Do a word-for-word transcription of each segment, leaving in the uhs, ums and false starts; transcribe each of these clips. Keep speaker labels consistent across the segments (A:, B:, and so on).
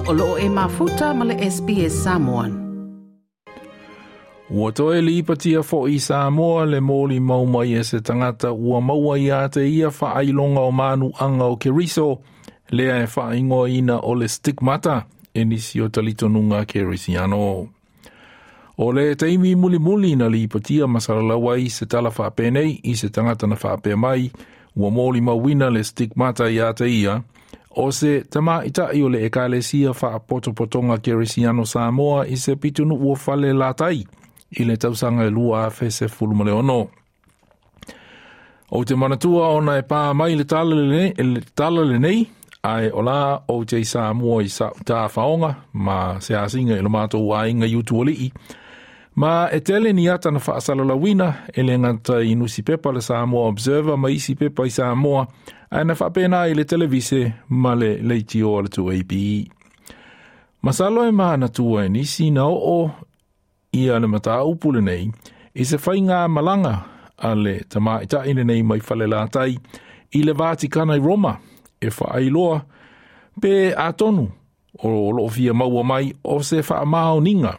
A: O loo e mafuta ma le S B S Samoan.
B: Ua toe lipatia fo'i Samoa le moli mau mai e se tangata ua maua ia te ia whaailonga o manu anga o Keriso, lea e whaingoa o le stigmata e nisi o talitonunga Kerisiano. O le taimi mulimuli na lipatia masalalawai se tala whaapenei i se tangata na whaapea mai, ua moli mauina le stigmata ia te ia, o se tama itai o le ekalesia whaapotopotonga Kerisiano Samoa i se pitunu ua fale latai, i le tausanga e lua afe se fulumaleono. O te manatua ona e pā mai le tala lenei, le tala lenei, ai o la o te Samoa i sa tā whaonga, ma se asinga i lo mātou ainga i utuolii. Ma e tele ni ata na whaasalalawina e le ngata i nusi pepa le Samoa Observer ma isi pepa i Samoa, ai na whaapena i le televise ma le leitio o le two A B. Masalo e manatua e nisi na oo ia le mataupu lenei, i se whainga malanga a le tamaitai lenei mai whale latai i le Vatikana i Roma, e whaailoa pe atonu o lofia maua mai o se whaamaoninga,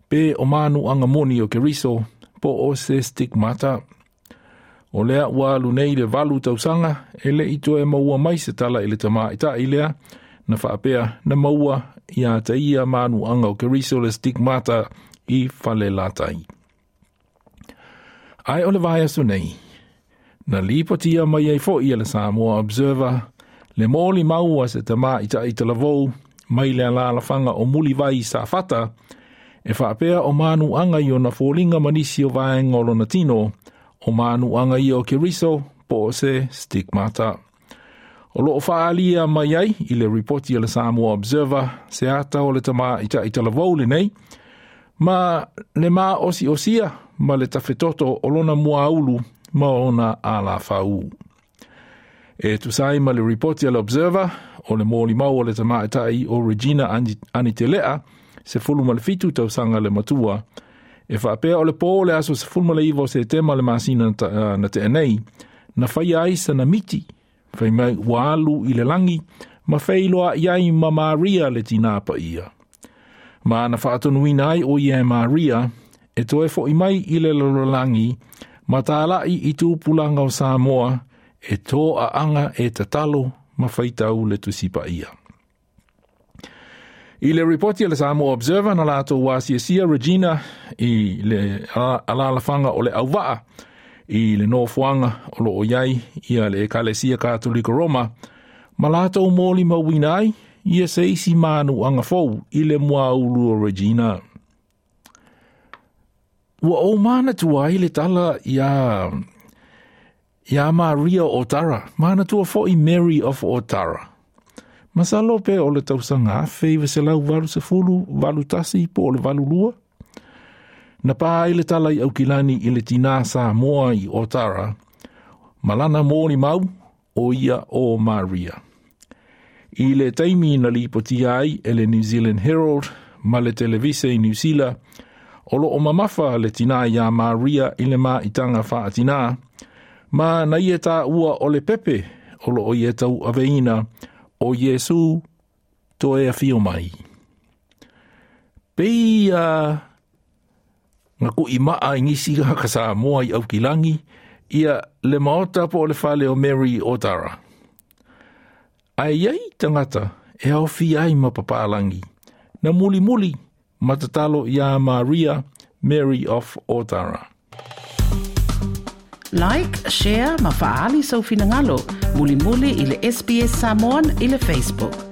B: pe o manu anga moni o Keriso po o se stigmata. O lea ua alu nei le valu tausanga e le itoe maua mai se tala i le tamaitai lea, na whaapea na maua ia te ia manu anga o Keriso le stigmata i whale latai. Ai o le vai aso nei, na lipotia mai ai fo ia le Samoa Observer, le moli maua se tama i ta italavou, mai le alalafanga o muliwai sa fata, e whaapea o manu anga i o na fōlinga manisi o vaenga o lona tino, o manu anga i o Keriso, po o se stigmata. O loo whaalia mai ai i le ripoti a le Samoa Observer, se ata o le tama i ta italavou le nei, ma le ma osi osia ma le tawhetoto o lona muaulu ma ona ala whau. E tusai ma le ripoti a le Observer o le mōli mau o le tamaitai o Regina Anitelea se fulu ma le fitu tausanga le matua e whaapea o le pō le aso se fulu ma le iwa o se tema le masina na, na te enei na whai ai sa na miti whai mai ua alu i le langi ma whailoa iai ma Maria le tinapa ia. Ma na whaatonuina ai o ia e Maria, e toe fo i mai i le lololangi, ma tālai i tūpulanga o Samoa, e tō a anga e tatalo ma whaitau le tusipa ia. I le ripoti a le Samoa Observer na lātou wāsiasia Regina i le alalafanga o le auvaa, i le nofoanga o lo o iai ia le Ekalesia Katolika Roma, ma lātou mōli mauina ai, ia se isi manu anga fou i le muaulu o Regina. Ua o mana tua i le tala ia, ia Maria Otara, mana tua fo i Mary of Otara. Masalo pe o le tausanga afe i veselau valu se fulu, valu tasi po o le valu lua. Na pā i le tala i aukilani i le tina Samoa i Otara, malana mōli mau o ia o Maria. I le taimi na lipotia ai e le New Zealand Herald ma le televise i New Zealand, o lo o mamafa le tina ia Maria i le maitanga whaatina, ma na ia tā ua o le pepe o lo o ia tau aveina o Iesu toe a whio mai. Pei a ngā kui maa i ngisi ka Samoa i Aukilangi, ia le maota po o le whale o Mary Otara. Ai iai tangata e au ai ma papalangi, na muli muli matatalo ia Maria, Mary of Otara.
A: Like, share, ma faali sau finangalo, muli muli i le S B S Samoan i le Facebook.